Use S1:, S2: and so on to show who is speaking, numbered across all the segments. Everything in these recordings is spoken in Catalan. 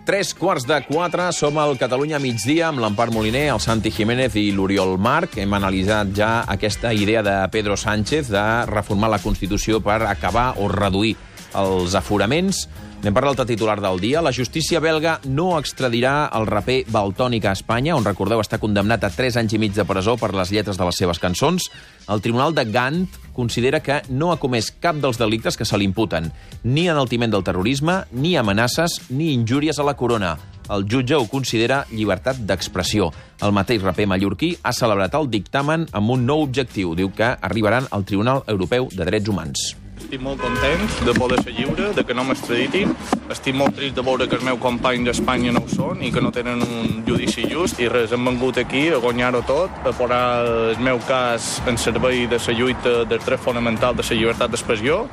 S1: 3:15, som al Catalunya migdia amb l'Empar Moliner, el Santi Jiménez i l'Oriol Marc. Hem analitzat ja aquesta idea de Pedro Sánchez de reformar la Constitució per acabar o reduir els aforaments. N'hem parlat al titular del dia. La justícia belga no extradirà el raper Valtònyc a Espanya, on, recordeu, està condemnat a 3 anys i mig de presó per les lletres de les seves cançons. El Tribunal de Gant considera que no ha comès cap dels delictes que se li imputen, ni enaltiment del terrorisme, ni amenaces, ni injúries a la corona. El jutge ho considera llibertat d'expressió. El mateix raper mallorquí ha celebrat el dictamen amb un nou objectiu. Diu que arribaran al Tribunal Europeu de Drets Humans.
S2: Estic molt content de poder ser lliure, de que no m'extraditin. Estic molt trist de veure que els meus companys d'Espanya no ho són i que no tenen un judici just. I res, hem vengut aquí a guanyar-ho tot, a posar el meu cas en servei de la lluita del dret fonamental de la llibertat d'expressió.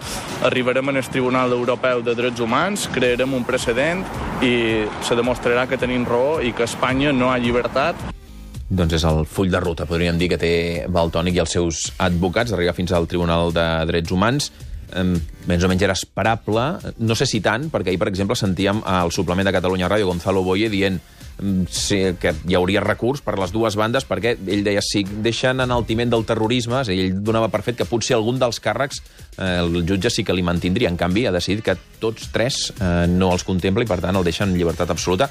S2: Arribarem al Tribunal Europeu de Drets Humans, crearem un precedent i se demostrarà que tenim raó i que a Espanya no hi ha llibertat.
S1: Doncs és el full de ruta, podríem dir, que té Valtònyc i els seus advocats, d'arribar fins al Tribunal de Drets Humans. Més o menys era esperable, no sé si tant, perquè ahir, per exemple, sentíem al suplement de Catalunya Ràdio Gonzalo Boye dient que hi hauria recurs per les dues bandes, perquè ell deia, si deixen enaltiment del terrorisme, ell donava per fet que potser algun dels càrrecs el jutge sí que li mantindria. En canvi, ha decidit que tots 3 no els contempla i, per tant, el deixen en llibertat absoluta,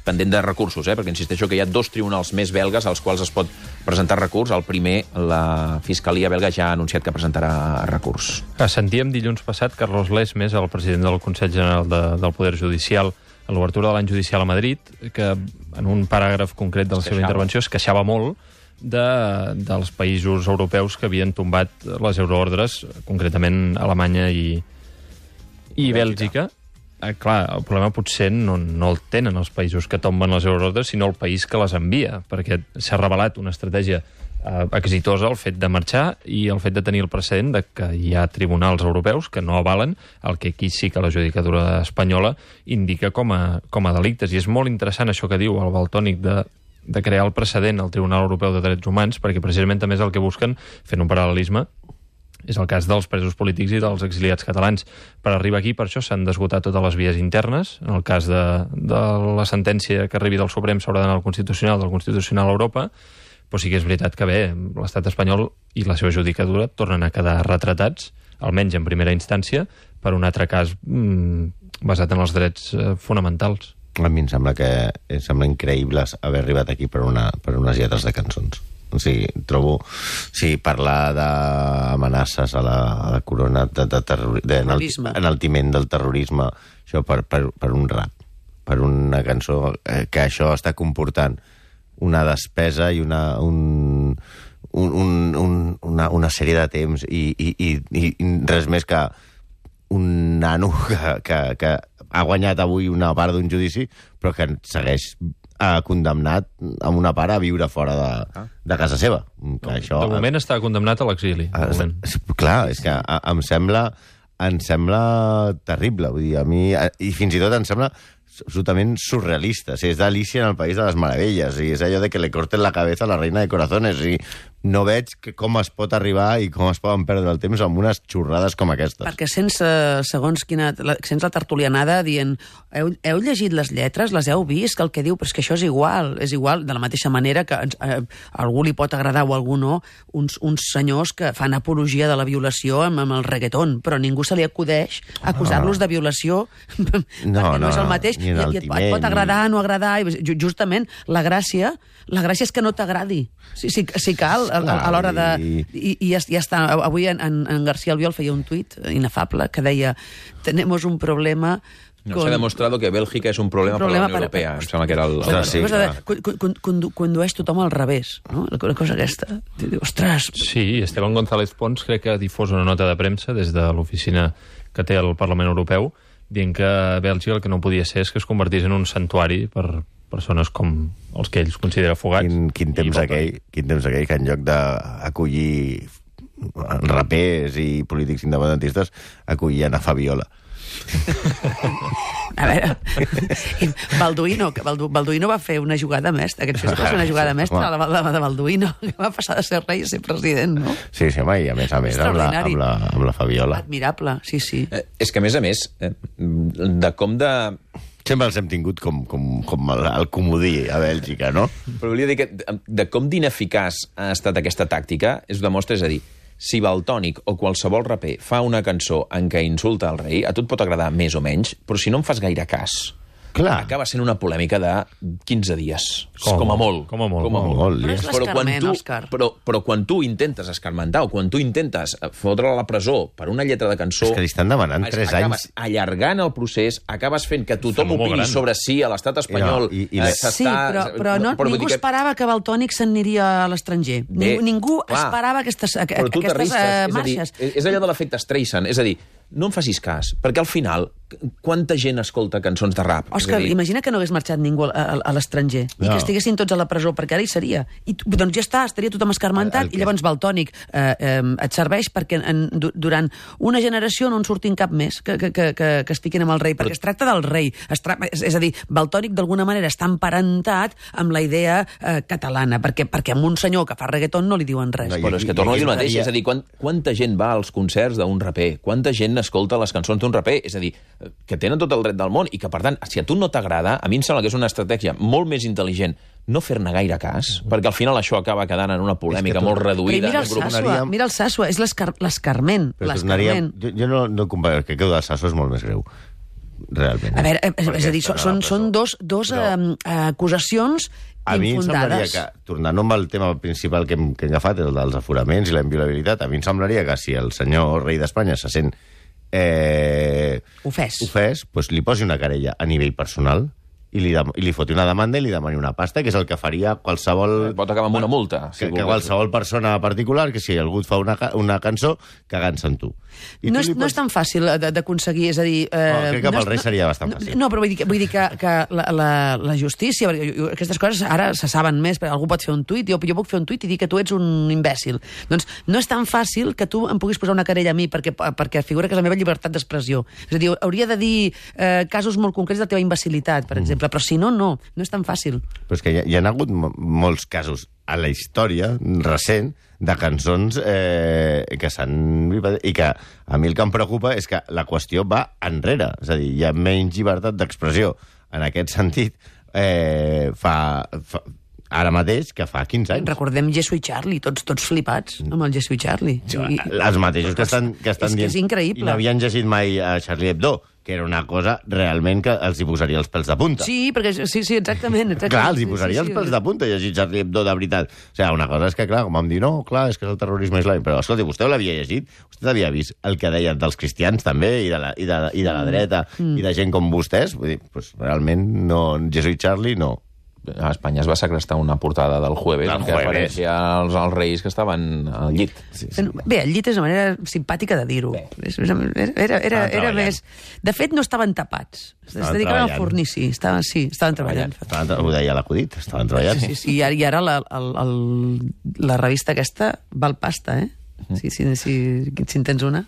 S1: pendent de recursos, perquè insisteixo que hi ha 2 tribunals més belgues als quals es pot presentar recurs. El primer, la Fiscalia belga ja ha anunciat que presentarà recurs.
S3: Sentíem dilluns passat Carlos Lesmes, el president del Consell General del Poder Judicial, a l'obertura de l'any judicial a Madrid, que en un paràgraf concret de la seva intervenció es queixava molt dels països europeus que havien tombat les euroordres, concretament Alemanya i Bèlgica. Clar, el problema potser no el tenen els països que tomben les euroordres, sinó el país que les envia, perquè s'ha revelat una estratègia exitosa el fet de marxar i el fet de tenir el precedent de que hi ha tribunals europeus que no avalen el que aquí sí que la judicatura espanyola indica com a delictes. I és molt interessant això que diu el Valtònyc de crear el precedent al Tribunal Europeu de Drets Humans, perquè precisament també és el que busquen, fent un paral·lelisme, és el cas dels presos polítics i dels exiliats catalans. Per arribar aquí, per això, s'han d'esgotar totes les vies internes. En el cas de la sentència que arribi del Suprem s'haurà d'anar al Constitucional, del Constitucional a Europa, però sí que és veritat que bé, l'estat espanyol i la seva judicatura tornen a quedar retratats, almenys en primera instància, per un altre cas basat en els drets fonamentals.
S4: A mi em sembla increïble haver arribat aquí per unes lletres de cançons. O sigui, trobo... Sí, parlar d'amenaces a la corona, d'enaltiment del terrorisme, això per un rap, per una cançó, que això està comportant una despesa i una sèrie de temps i res més que un nano que ha guanyat avui una part d'un judici, però que segueix condemnat amb una part a viure fora de casa seva.
S3: De moment està condemnat a l'exili.
S4: Clar, és que em sembla terrible. Vull dir, a mi, i fins i tot em sembla absolutament surrealista. O sigui, és d'Alicia en el País de les Meravelles, i és allò de que le corten la cabeza a la reina de corazones, i no veig com es pot arribar i com es poden perdre el temps amb unes xorrades com aquestes.
S5: Perquè sense la tertulianada dient heu llegit les lletres, les heu vist, que el que diu, però és que això és igual, de la mateixa manera que a algú li pot agradar o a algú no, uns senyors que fan apologia de la violació amb el reggaeton, però ningú se li acudeix acusar-los de violació perquè no és el mateix, i et pot agradar, no agradar, i justament la gràcia és que no t'agradi, si cal, a l'hora de... I ja està. Avui en García Albiol feia un tuit inefable que deia tenemos un problema...
S1: No s'ha demostrado que Bèlgica és un problema per la Unió Europea. Em sembla que era el...
S5: Condueix tothom al revés, no? La cosa aquesta. Ostres...
S3: Sí, Esteban González Pons crec que ha difós una nota de premsa des de l'oficina que té el Parlament Europeu dient que Bèlgica el que no podia ser és que es convertís en un santuari per persones com els que ells considera fugats.
S4: Quin temps aquell que en lloc d'acollir rapers i polítics independentistes acollien a Fabiola.
S5: A veure, Balduino va fer una jugada mestra, aquest fes una jugada mestra de Balduino, que va passar de ser rei a ser president, no?
S4: Sí, home, i a més amb la Fabiola.
S5: Admirable, sí.
S1: És que, a més, de com de
S4: Sempre els hem tingut com el comodí a Bèlgica, no?
S1: Però volia dir que de com d'ineficaç ha estat aquesta tàctica es demostra, és a dir, si Valtònyc o qualsevol raper fa una cançó en què insulta el rei, a tu et pot agradar més o menys, però si no en fas gaire cas, acaba sent una polèmica de 15 dies. Com a molt.
S3: Com a molt.
S5: Però és l'escarment, Òscar.
S1: Però quan tu intentes escarmentar o quan tu intentes fotre a la presó per una lletra de cançó...
S4: És que li estan demanant 3 anys.
S1: Acabes allargant el procés, acabes fent que tothom opini sobre si a l'estat espanyol
S5: Sí, però ningú esperava que Valtònyc s'aniria a l'estranger. Ningú esperava aquestes marxes.
S1: És allò de l'efecte Streisand, és a dir, no em facis cas, perquè al final, quanta gent escolta cançons de rap?
S5: Òscar, imagina que no hagués marxat ningú a l'estranger i que estiguessin tots a la presó, perquè ara hi seria. I doncs ja està, estaria tothom escarmentat, i llavors Valtònyc et serveix perquè durant una generació no en surtin cap més que es fiquin amb el rei, perquè es tracta del rei. És a dir, Valtònyc d'alguna manera està emparentat amb la idea catalana, perquè a un senyor que fa reggaeton no li diuen res.
S1: Però és que torno a dir el mateix, és a dir, quanta gent va als concerts d'un raper? Quanta gent escolta les cançons d'un raper? És a dir, que tenen tot el dret del món i que, per tant, si a tu no t'agrada, a mi em sembla que és una estratègia molt més intel·ligent no fer-ne gaire cas, perquè al final això acaba quedant en una polèmica molt reduïda.
S5: Mira el Sasua, és l'escarment.
S4: Jo no comparo, que el del Sasua és molt més greu, realment.
S5: A veure, és a dir, són dos acusacions infundades.
S4: A mi em semblaria que, tornant amb el tema principal que hem agafat, el dels aforaments i la inviolabilitat, a mi em semblaria que si el senyor rei d'Espanya se sent ofès, doncs li posi una querella a nivell personal i li foti una demanda i li demani una pasta, que és el que faria qualsevol...
S1: Pot acabar amb una multa.
S4: Que qualsevol persona particular, que si algú et fa una cançó, cagant-se en tu.
S5: No és tan fàcil d'aconseguir, és a dir...
S4: Crec que pel rei seria bastant fàcil.
S5: No, però vull dir que la justícia, aquestes coses ara se saben més, perquè algú pot fer un tuit, jo puc fer un tuit i dir que tu ets un imbècil. Doncs no és tan fàcil que tu em puguis posar una querella a mi perquè figura que és la meva llibertat d'expressió. És a dir, hauria de dir casos molt concrets de la teva imbecilitat, per exemple, però si no és tan fàcil.
S4: Però és que hi ha hagut molts casos a la història recent de cançons que s'han... I que a mi el que em preocupa és que la qüestió va enrere. És a dir, hi ha menys llibertat d'expressió en aquest sentit ara mateix que fa 15 anys.
S5: Recordem Jesús i Charlie, tots flipats amb el Jesús i Charlie.
S4: Els mateixos que estan dient...
S5: És increïble.
S4: I no havien llegit mai a Charlie Hebdo, que era una cosa realment que els hi posaria els pèls de punta.
S5: Sí, perquè sí, exactament.
S4: Clar, els hi posaria els pèls de punta llegir Charlie Hebdo de veritat. O sigui, una cosa és que, clar, com vam dir, no, clar, és que és el terrorisme islàmic, però, escolti, vostè l'havia llegit? Vostè havia vist el que deien dels cristians, també, i de la dreta, i de gent com vostès? Vull dir, doncs, realment, no, Jesús i Charlie, no.
S1: A Espanya es va segrestar una portada del Jueves en què apareixia els reis que estaven al llit.
S5: Bé, el llit és una manera simpàtica de dir-ho. Era més... De fet, no estaven tapats. Es dedicaven al fornici. Estaven treballant.
S4: Ho deia l'acudit, estaven treballant.
S5: Sí, i ara la revista aquesta val pasta, eh? Si en tens una.